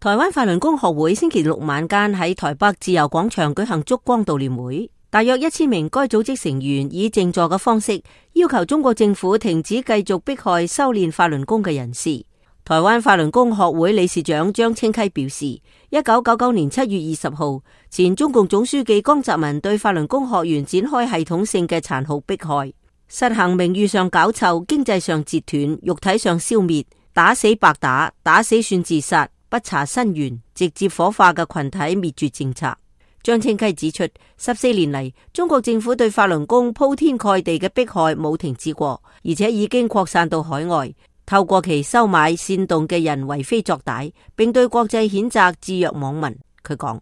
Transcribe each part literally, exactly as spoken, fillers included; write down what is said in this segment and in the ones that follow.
台灣法輪功學會星期六晚間喺台北自由廣場舉行燭光悼念會，大約一千名該組織成員以靜坐嘅方式要求中國政府停止繼續迫害修煉法輪功嘅人士。台灣法輪功學會理事長張清溪表示，一九九九年七月二十號，前中共總書記江澤民對法輪功學員展開系統性嘅殘酷迫害，實行名譽上搞臭、經濟上截斷、肉體上消滅、打死白打、打死算自殺、不查身源、直接火化嘅群體滅絕政策。張清溪指出，十四年嚟，中國政府對法輪功鋪天蓋地嘅迫害冇停止過，而且已經擴散到海外，透過其收買煽動嘅人為非作歹，並對國際譴責置若罔聞。佢講：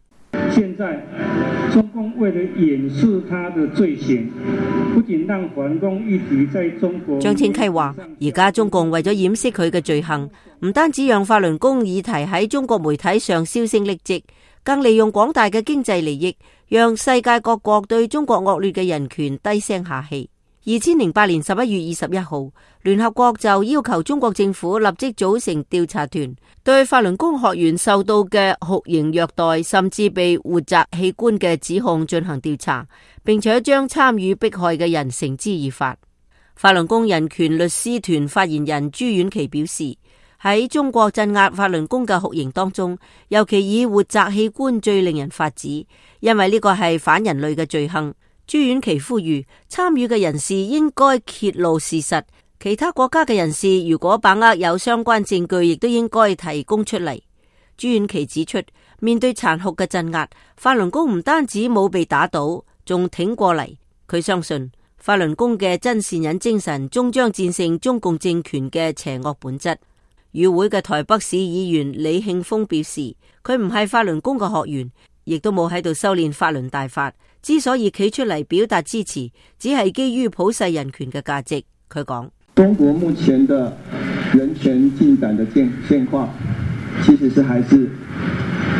現在中共為了掩飾他的罪行，不僅讓法輪功議題在中國。張清溪話：而家中共為咗掩飾佢嘅罪行，唔單止讓法輪功議題喺中國媒體上銷聲匿跡，更利用廣大嘅經濟利益，讓世界各國對中國惡劣嘅人權低聲下氣。二千零八年十一月二十一號，聯合國就要求中國政府立即組成調查團，對法輪功學員受到嘅酷刑虐待，甚至被活摘器官嘅指控進行調查，並且將參與迫害嘅人繩之以法。法輪功人權律師團發言人朱婉琪表示，喺中國鎮壓法輪功嘅酷刑當中，尤其以活摘器官最令人髮指，因為呢個係反人類嘅罪行。朱婉琪呼籲參與嘅人士應該揭露事實，其他國家嘅人士如果把握有相關證據，亦都應該提供出嚟。朱婉琪指出，面對殘酷嘅鎮壓，法輪功唔單止冇被打倒，仲挺過嚟。佢相信法輪功嘅真善忍精神終將戰勝中共政權嘅邪惡本質。與會嘅台北市議員李慶峰表示，佢唔係法輪功嘅學員，亦都冇喺度修煉法輪大法，之所以企出嚟表達支持，只係基於普世人權嘅價值。佢講：中國目前的人權進展的現現況，其實是還是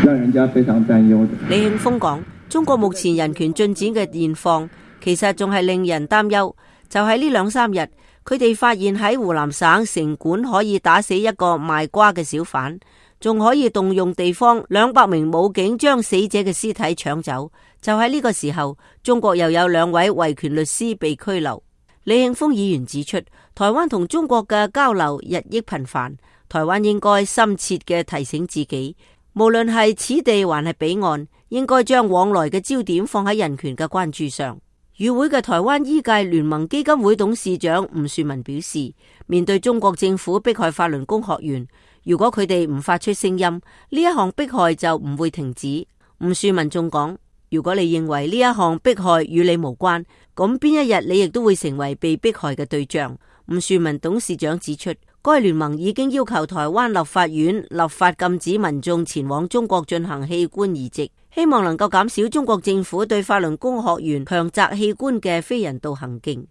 讓人家非常擔憂的。李慶峰講，中國目前人權進展嘅現況，其實仲係令人擔憂。就喺呢兩三日，佢哋發現喺湖南省城管可以打死一個賣瓜嘅小販，仲可以動用地方兩百名武警將死者嘅屍體搶走。就喺呢個時候，中國又有兩位維權律師被拘留。李慶峰議員指出，台灣同中國嘅交流日益頻繁，台灣應該深切嘅提醒自己，無論係此地還係彼岸，應該將往來嘅焦點放喺人權嘅關注上。與會嘅台灣醫界聯盟基金會董事長吳樹文表示，面對中國政府迫害法輪功學員，如果佢哋唔發出聲音，呢一項迫害就唔會停止。吳樹文仲講，如果你認為呢一項迫害與你無關，咁邊一日你亦都會成為被迫害嘅對象。吳樹文董事長指出，該聯盟已經要求台灣立法院立法禁止民眾前往中國進行器官移植，希望能夠減少中國政府對法輪功學員強摘器官嘅非人道行徑。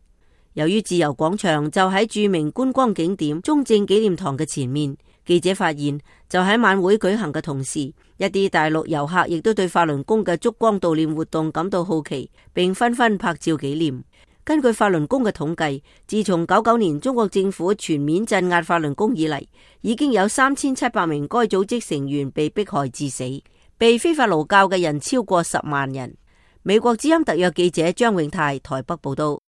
由於自由廣場就喺著名觀光景點中正紀念堂嘅前面，記者發現就喺晚會舉行嘅同時，一啲大陸遊客亦都對法輪功嘅燭光悼念活動感到好奇，並紛紛拍照紀念。根據法輪功嘅統計，自從九九年中國政府全面鎮壓法輪功以嚟，已經有三千七百名該組織成員被迫害致死，被非法勞教嘅人超過十萬人。美國之音特約記者張永泰台北報道。